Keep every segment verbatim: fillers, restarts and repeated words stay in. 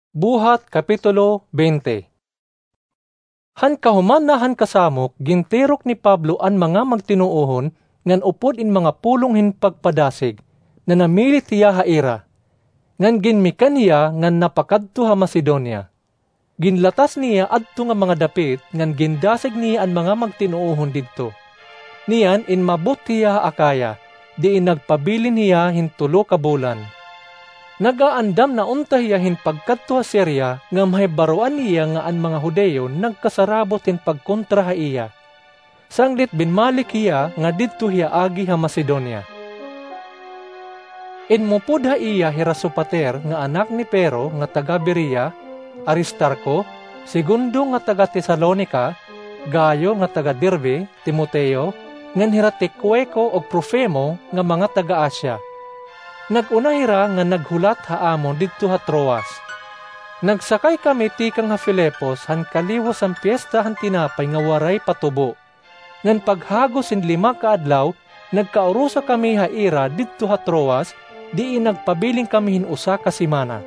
Buhat, Kapitulo twenty. Han kahuman na han kasamok, gintirok ni Pablo an mga magtinuohon ngan upod in mga pulong hin pagpadasig, nanamilit hiya ha ira, ngan ginmikan hiya ngan napakadto ha Macedonia. Ginlatas niya adto nga mga dapit ngan gindasig niya an mga magtinuohon didto. Niyan inmabot hiya ha Acaya, diin nagpabilin hiya hin tulo ka bulan. Nag-aandam na unta hiya hin pagkadto ha Siria nga mahibaroan niya nga an mga Judio nagkasarabot hin pagkontra ha iya. Sanglit binmalik hiya nga didto hiya agi ha Macedonia. Inmupod ha iya hira Sopater nga anak ni Pirro nga taga Berea, Aristarco, Segundo nga taga Tesalonica, Gayo nga taga Derbe, Timoteo, ngan hira Tiquico ug Trofimo nga mga taga Asia. Nag-una hira nga naghulat ha amon didto ha Troas. Nagsakay kami tikang ha Filipos han kaliwos han Piesta han Tinapay nga Waray Patubo. Ngan paghagos hin lima ka adlaw, nagkaurusa kami ha ira didto ha Troas, diin nagpabilin kami hin usa ka semana.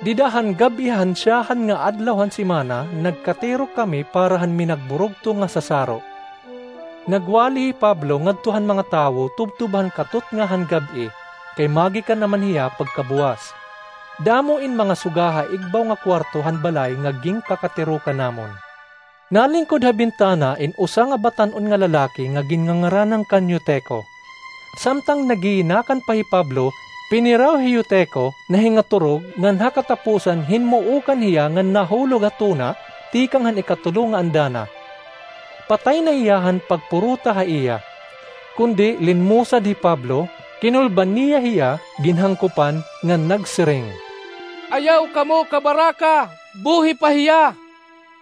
Dida han gab-i han syahan nga adlaw han semana, nagkatirok kami para han minagburugto nga sasaro. Nagwali hi Pablo ngadto han mga tawo tubtob han katutnga han gab-i, kay magikan na man hiya pagkabuwas. Damo in mga suga ha igbaw nga kuwarto han balay nga ginpakatirokan namon. Nalingkod ha bintana in usa nga batan-on nga lalaki nga ginngangaranan kan Eutico. Samtang naghihinakan pa hi Pablo, piniraw hi Eutico, nahingaturog, ngan ha katapusan hinmuokan hiya ngan nahulog ha tuna tikang han ikatulo nga andana. Patay na hiya han pagpurota ha iya. Kundi linmusad hi Pablo, kinulban niya hiya, ginhangkopan, ngan nagsiring, "Ayaw kamo kabaraka! Buhi pa hiya!"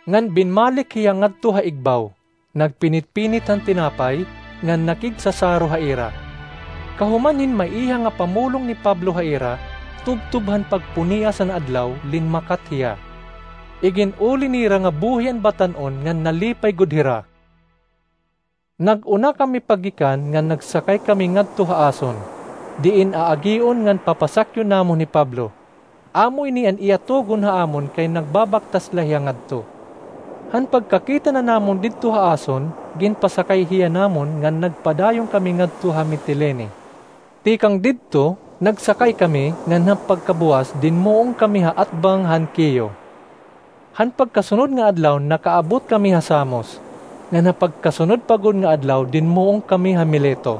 Ngan binmalik hiya ngadto ha igbaw, nagpinitpinit han tinapay, ngan nakigsasaro ha ira. Kahuman hin maiha nga pamulong ni Pablo ha ira, tubtob han pagpunias han adlaw, linmakat hiya. Igin-uli nira nga buhi an batan-on ngan nalipay gud hira. Nag-una kami paggikan ngan nagsakay kami ngadto ha ason, diin aagion ngan papasakyon namon hi Pablo. Amo ini an iya tugon ha amon kay nagbabaktas la hiya ngadto. Han pagkakita na namon didto ha ason, ginpasakay hiya namon ngan nagpadayon kami ngadto ha Mitilene. Tikang didto, nagsakay kami ngan han pagkabuwas dinmuong kami ha atbang han Quio. Han pagkasunod nga adlaw nakaabot kami ha Samos, ngan ha pagkasunod pa gud nga adlaw dinmuong kami ha Mileto.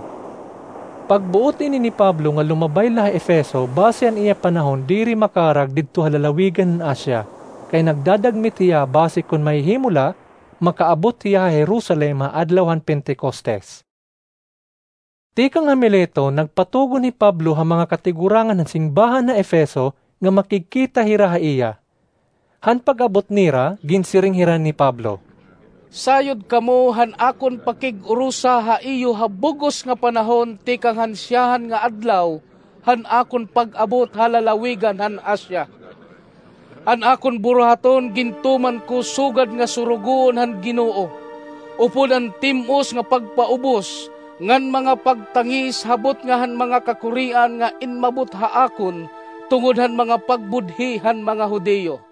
Pagbuot ini ni Pablo nga lumabay la ha Efeso basi an iya panahon diri makarag didto ha lalawigan han Asia, kay nagdadagmit hiya basi kon mahihimo la, makaabot hiya ha Jerusalem ha adlaw han Pentecostes. Tikang ha Mileto, nagpatugon hi Pablo ha mga katigurangan han simbahan ha Efeso nga makigkita hira ha iya. Han pag-abot nira, ginsiring hira ni Pablo, "Sayod kamo han akon pakig-urusa ha iyo ha bug-os nga panahon tikang han syahan nga adlaw han akon pag-abot ha lalawigan han Asia. An akon buruhaton gintuman ko sugad nga surugoon han Ginoo, upod an tim-os nga pagpaubos ngan mga pagtangis ha butnga han mga kakurian nga inmabot ha akon tungod han mga pagbudhi han mga Judio.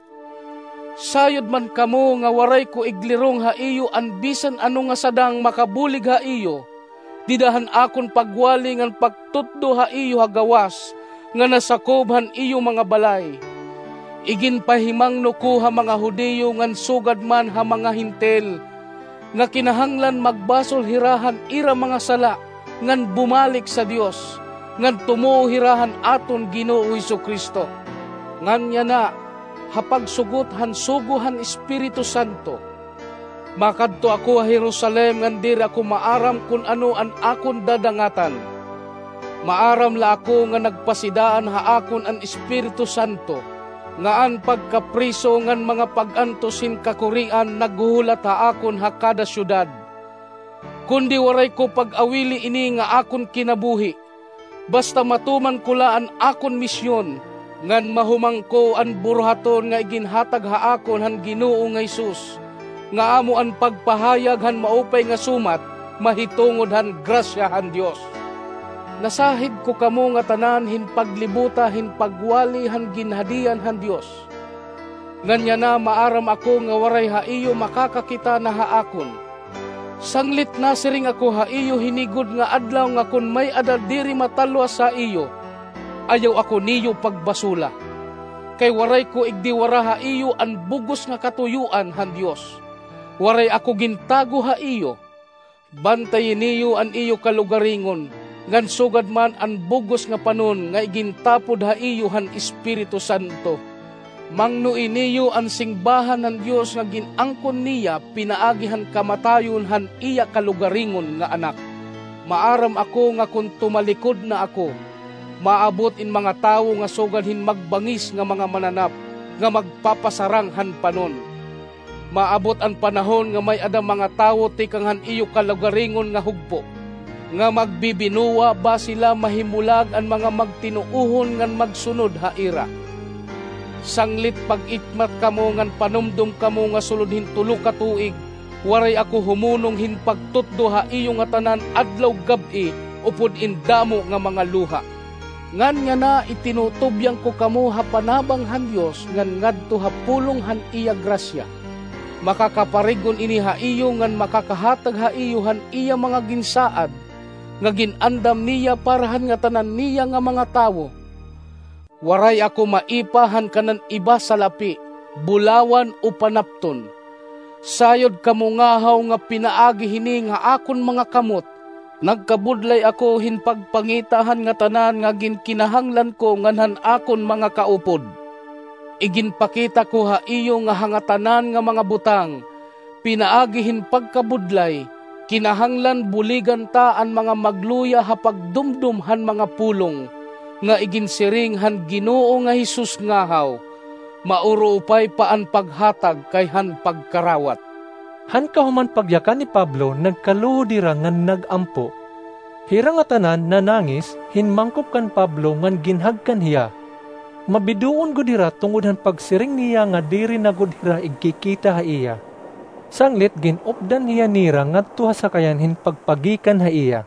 Sayod man kamo nga waray ko iglirong ha iyo an bisan ano nga sadang makabulig ha iyo, dida han akon pagwali ngan pagtutdo ha iyo ha gawas nga nasakob han iyo mga balay. Iginpahimangno ko ha mga Judio ngan sugad man ha mga Hentil, nga kinahanglan magbasol hira han ira mga sala ngan bumalik sa Dios, ngan tumuo hira han aton Ginoo Jesu-Cristo. Ngan yana, ha pagsugot han sugo han Espiritu Santo, makadto ako ha Jerusalem ngan diri ako maaram kon ano an akon dadangatan. Maaram la ako nga nagpasidaan ha akon an Espiritu Santo, nga an pagkapriso ngan mga pag-antos hin kakurian naghuhulat ha akon ha kada syudad. Kundi waray ko pag-awili ini nga akon kinabuhi, basta matuman ko la an akon misyon, ngan mahumangko an buruhaton nga iginhatag ha akon han Ginoo nga Jesus, nga amo an pagpahayag han Maupay nga Sumat mahitungod han grasya han Dios." Nasahid ko kamo ngatanan hin paglibota hin pagwali han ginhadian han Dios. Ngan yana maaram ako nga waray ha iyo makakakita na ha akon. Sanglit nasiring ako ha iyo hini gud nga adlaw nga kon may-ada diri matalwas ha iyo, ayaw ako niyo pagbasola. Kay waray ko igdiwara ha iyo an bug-os nga katuyoan han Dios. Waray ako gintago ha iyo. Bantayi niyo an iyo kalugaringon, ngan sugad man an bug-os nga panon nga igintapod ha iyo han Espiritu Santo. Mangnoi niyo an singbahan han Dios nga gin-angkon niya pinaagi han kamatayon han iya kalugaringon nga Anak. Maaram ako nga kon tumalikod na ako, maabot in mga tawo nga sugad hin magbangis nga mga mananap nga magpapasarang han panon. Maabot an panahon nga may-ada mga tawo tikang han iyo kalugaringon nga hugpo, nga magbibinuwa ba sila mahimulag an mga magtinuohon ngan magsunod ha ira. Sanglit pag-itmat kamo ngan panumdom kamo nga sulod hin tulo ka tuig, waray ako humunong hin pagtutdo ha iyo ngatanan adlaw gab-i upod in damo nga mga luha. Ngan yana itinutubyan ko kamo ha panabang han Dios ngan ngadto ha pulong han iya grasya. Makakaparig-on ini ha iyo ngan makakahatag ha iyo han iya mga ginsaad nga gin-andam niya para han ngatanan niya nga mga tawo. Waray ako maipa han kanan iba salapi, bulawan o panapton. Sayod kamo ngahaw nga pinaagi hini nga akon mga kamot, nagkabudlay ako hin pagpangita han ngatanan nga ginkinahanglan ko ngan han akon mga kaupod. Iginpakita ko ha iyo nga ha ngatanan nga mga butang, pinaagi hin pagkabudlay, kinahanglan buligan ta an mga magluya ha pagdumdom han mga pulong nga iginsiring han Ginoo nga Jesus ngahaw, mauruupay pa an paghatag kay han pagkarawat. Han kahuman pagyakan ni Pablo, nagkaluhod hira ngan nag-ampo. Hira ngatanan nanangis, hinmangkop kan Pablo ngan ginhagkan hiya. Mabidoon gud hira tungod han pagsiring niya nga diri na gud hira igkikita ha iya. Sanglit gin-updan hiya nira ngadto ha sakayan hin pagpagikan ha iya.